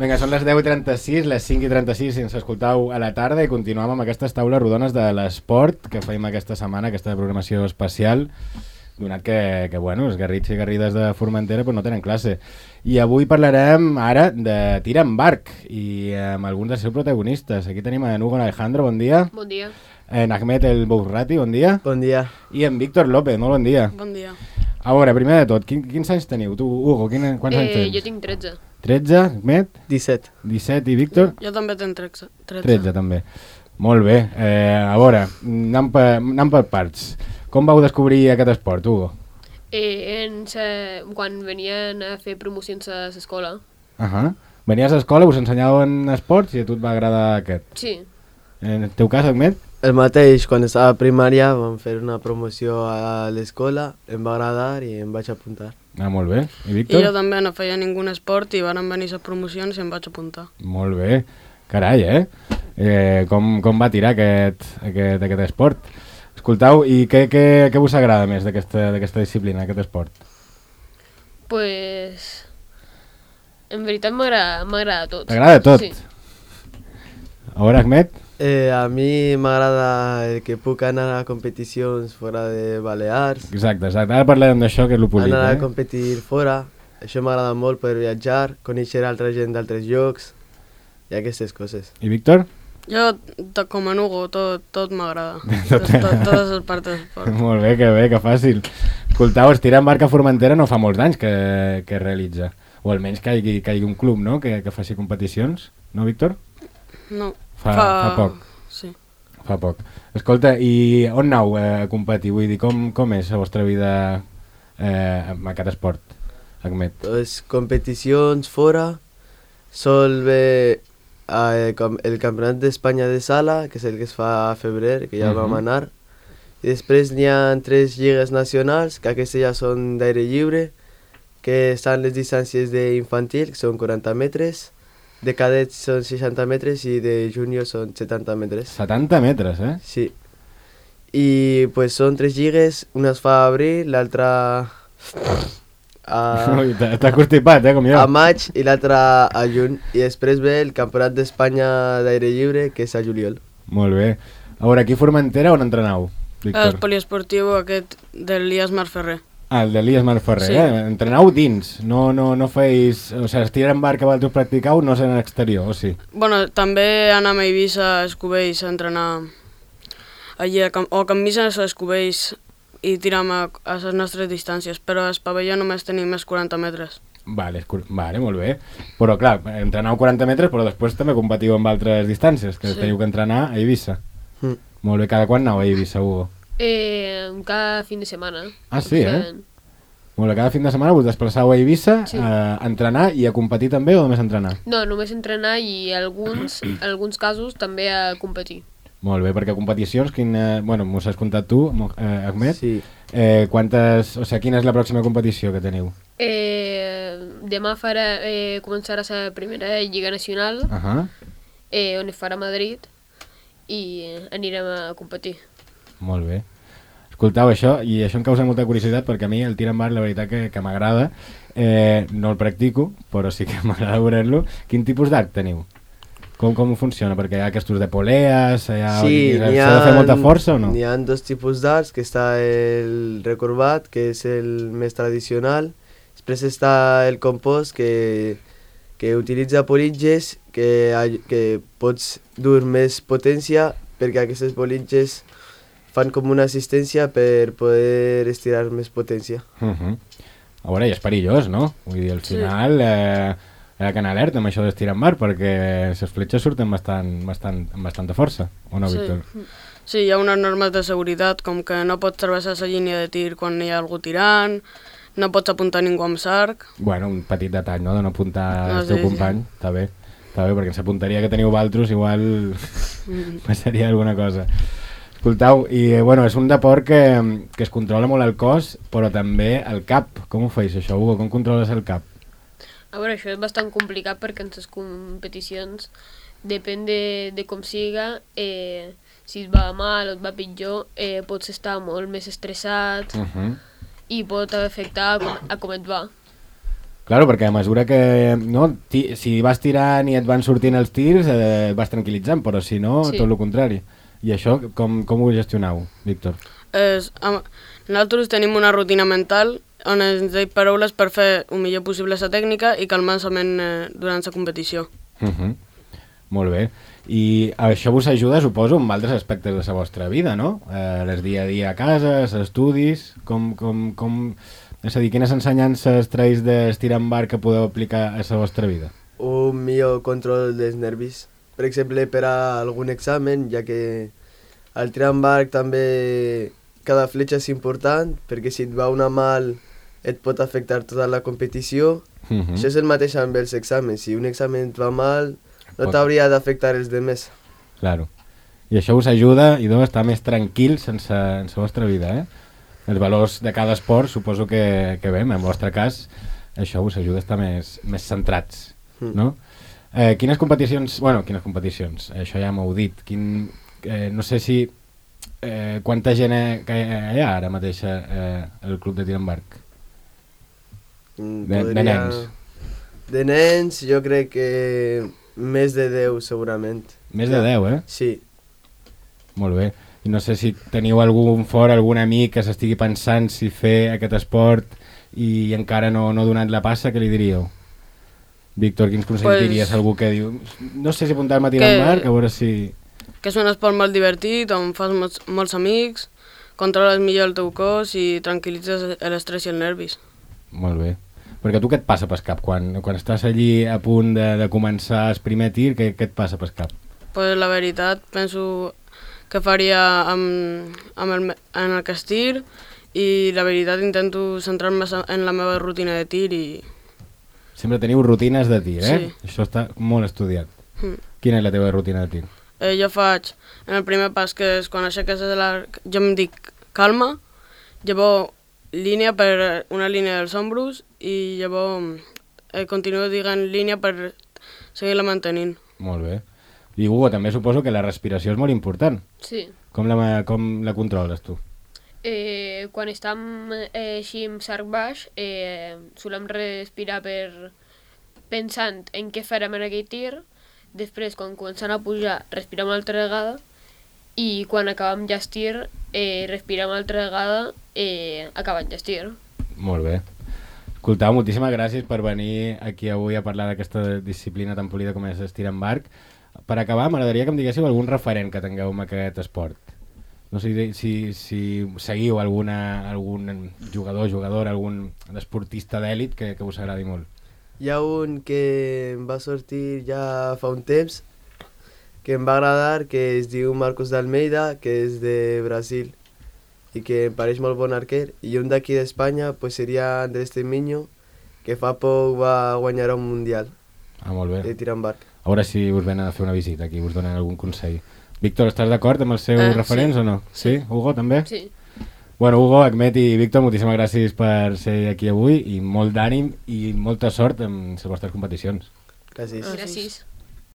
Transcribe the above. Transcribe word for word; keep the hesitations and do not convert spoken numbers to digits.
Vinga, són les deu i trenta-sis, les cinc i trenta-sis si ens escoltau a la tarda i continuem amb aquestes taules rodones de l'esport que feim aquesta setmana, aquesta programació especial, donat que, que bueno, els garrits i garrides de Formentera pues, no tenen classe. I avui parlarem ara de tir amb barc i amb alguns dels seus protagonistes. Aquí tenim en Hugo Alejandro, bon dia. Bon dia. En Ahmed El Bourrati, bon dia. Bon dia. I en Víctor López, molt bon dia. Bon dia. A veure, primer de tot, quin, quins anys teniu? Tu, Hugo, quin, quants eh, anys tens? Jo tinc tretze. tretze, Ahmed? disset. disset i Víctor? Jo també tenc tretze. tretze també. Molt bé. Eh, a veure, anem per, anem per parts. Com vau descobrir aquest esport, Hugo? Eh, en sa... Quan venien a fer promocions a l'escola. Uh -huh. Venies a l'escola, us ensenyaven esports i a tu et va agradar aquest. Sí. En el teu cas, Ahmed? El mateix, quan estava a primària vam fer una promoció a l'escola, em va agradar i em vaig apuntar. Ah, molt bé. I I Víctor? jo també no feia ningun esport i van venir les promocions i em vaig apuntar. Molt bé. Carai, eh? eh com, com va tirar aquest, aquest, aquest esport? Escoltau, i què, què, què us agrada més d'aquesta disciplina, aquest esport? Pues... En veritat m'agrada tot. T'agrada tot? Sí. A veure, Ahmed? Eh, a mi m'agrada el que puc anar a competicions fora de Balears, Exacte, exacte. Ara parlarem d'això, que és el polit, anar a eh? competir fora. Això m'agrada molt, poder viatjar, conèixer altra gent d'altres llocs i aquestes coses. I Víctor? Jo, tot com en Hugo, tot, tot m'agrada. tot, tot, totes les parts de l'esport. Molt bé, que bé, que fàcil. Escoltau, estirar en barca a Formentera no fa molts anys que, que realitza. O almenys que hi hagi, que hi hagi un club, no?, que, que faci competicions. No, Víctor? No. Fa, fa... fa poc. Sí. Fa poc. Escolta, i on aneu eh, a competir? Vull dir, com, com és la vostra vida eh, amb aquest esport, Ahmed? Les competicions fora sol bé eh, com el Campionat d'Espanya de sala, que és el que es fa a febrer, que ja Uh-huh. vam anar. I després n'hi ha tres lligues nacionals, que aquestes ja són d'aire lliure, que estan les distàncies d'infantil, que són quaranta metres, de cadets són seixanta metres i de júnior són setanta metres. setanta metres, eh? Sí. I pues són tres lligues, una es fa a abril, l'altra a, Ui, t'ha t'ha constipat, eh, com jo. a maig i l'altra a juny. I després ve el Campionat d'Espanya d'aire lliure, que és a juliol. Molt bé. A veure, aquí a Formentera on entrenau, El Víctor? poliesportiu aquest de l'Ias Marferrer. Ah, el de l'Ias Marferrer, Sí. eh? Entrenau dins, no, no, no feis... O sigui, estirar en barca que vosaltres practicau no és en l'exterior, o sí? Bueno, també anem a Eivissa, a Escubells, a entrenar allí, a Cam o a Camisa, a Escubells, i tiram a, a les nostres distàncies, però al pavelló només tenim més quaranta metres. Vale, és cur- vale, molt bé. Però clar, entrenau quaranta metres, però després també competiu amb altres distàncies, que Sí. teniu que entrenar a Eivissa. Mm. Molt bé, cada quan aneu a Eivissa, Hugo? Eh, cada fin de setmana. Ah, sí, O eh? sigui, Molt bé, cada fin de setmana us desplaçau a Eivissa Sí. a entrenar i a competir també o només a entrenar? No, només entrenar i alguns, alguns casos també a competir. Molt bé, perquè competicions, quin, eh, bueno, m'ho has contat tu, Mo- eh, Ahmed, Sí. eh, quantes, o sigui, quina és la pròxima competició que teniu? Eh, demà farà, eh, començarà la primera Lliga Nacional, Uh -huh. eh, on es farà a Madrid, i anirem a competir. Molt bé. Escoltau, això, i això em causa molta curiositat perquè a mi el tir amb bar la veritat que, que m'agrada, eh, no el practico, però sí que m'agrada veure-lo. Quin tipus d'arc teniu? Com, com funciona? Perquè hi ha aquests de poleas, hi ha, Sí, s'ha n'hi de ha, fer molta força o no? N'hi ha dos tipus d'arts, que està el recorbat, que és el més tradicional. Després està el compost, que, que utilitza politges, que, ay- que pots dur més potència, perquè aquestes politges fan com una assistència per poder estirar més potència. Uh -huh. A veure, i és perillós, no? Vull dir, al Sí. final eh, hi ha que anar alerta amb això d'estirar en mar perquè les fletxes surten bastant, bastant, amb bastanta força, o no, Sí. Víctor? Sí, hi ha unes normes de seguretat, com que no pots travessar la línia de tir quan hi ha algú tirant, no pots apuntar ningú amb sarc. Bueno, un petit detall, no?, de no apuntar No, el teu sí, company, sí. està bé. Està bé, perquè en la punteria que teniu valtros igual passaria alguna cosa. Escoltau, i eh, bueno, és un deport que, que es controla molt el cos, però també el cap. Com ho feis això, Hugo? Com controles el cap? A veure, això és bastant complicat perquè en les competicions depèn de, de com siga, eh, si et va mal o et va pitjor, eh, pots estar molt més estressat Uh -huh. i pot afectar a com, a com et va. Claro, perquè a mesura que... No, ti, si vas tirant i et van sortint els tirs, eh, et vas tranquil·litzant, però si no, Sí. tot el contrari. I això, com, com ho gestioneu, Víctor? És, amb, nosaltres tenim una rutina mental on ens deim paraules per fer el millor possible la tècnica i calmar la ment eh, durant la competició. Uh -huh. Molt bé. I això vos ajuda, suposo, en altres aspectes de la vostra vida, no? Eh, les dia a dia a casa, els estudis, com... com, com... És a dir, quines ensenyances traïs d'estirar en bar que podeu aplicar a la vostra vida? Un millor control dels nervis. Per exemple, per a algun examen, ja que al tirar en barc també cada fletxa és important, perquè si et va una mal et pot afectar tota la competició. Uh -huh. Això és el mateix amb els exàmens. Si un examen et va mal, no Pot- t'hauria d'afectar els demés. Claro. I això us ajuda, i doncs, estar més tranquil sense, en la vostra vida, eh? Els valors de cada esport, suposo que, que bé, en el vostre cas, això us ajuda a estar més, més centrats, Mm. no? Eh, quines competicions... Bueno, quines competicions? Això ja m'heu dit. Quin, eh, no sé si... Eh, quanta gent eh, que hi ha ara mateix eh, al club de tir amb arc? Mm, De- de nens. De nens, jo crec que més de deu, segurament. Més de deu, eh? Sí. Molt bé. I no sé si teniu algun fora, algun amic que s'estigui pensant si fer aquest esport i encara no, no ha donat la passa, què li diríeu? Víctor, quins consells Pues- diries a algú que diu no sé si apuntar-me a tirar Que- en barc, a veure si... Que és un esport molt divertit, on fas molts, molts amics, controles millor el teu cos i tranquil·litzes l'estrès i els nervis. Molt bé. Perquè tu què et passa pel cap? Quan, quan estàs allí a punt de, de començar el primer tir, què, què et passa pel cap? Pues la veritat, penso que faria amb, amb el, me- en el que estir i la veritat intento centrar-me en la meva rutina de tir i... Sempre teniu rutines de tir, eh? Sí. Això està molt estudiat. Mm. Quina és la teva rutina de tir? Eh, jo faig, en el primer pas, que és quan aixeques l'arc, jo em dic calma, llavors línia per una línia dels ombros i llavors eh, continuo dient línia per seguir-la mantenint. Molt bé. I Hugo, també suposo que la respiració és molt important. Sí. Com la, com la controles tu? Eh, quan estem eh, així amb sarc baix, eh, solem respirar per pensant en què farem en aquell tir, després quan comencem a pujar respirem una altra vegada i quan acabem ja el tir eh, respirem una altra vegada eh, acabant ja el tir. Molt bé. Escoltau, moltíssimes gràcies per venir aquí avui a parlar d'aquesta disciplina tan polida com és estir en barc. Per acabar, m'agradaria que em diguéssiu algun referent que tingueu en aquest esport. No sé si, si seguiu alguna, algun jugador, jugadora, algun esportista d'èlit que, que us agradi molt. Hi ha un que em va sortir ja fa un temps, que em va agradar, que es diu Marcos d'Almeida, que és de Brasil, i que em pareix molt bon arquer. I un d'aquí d'Espanya pues, seria Andrés Temiño, que fa poc va guanyar un mundial Ah, molt bé. de tir amb barc. A veure si us venen a fer una visita aquí, us donen algun consell. Víctor, estàs d'acord amb els seus Eh, referents sí. o no? Sí. sí? Hugo, també? Sí. Bueno, Hugo, Ahmed i Víctor, moltíssimes gràcies per ser aquí avui i molt d'ànim i molta sort en les vostres competicions. Gràcies. Ah. Gràcies.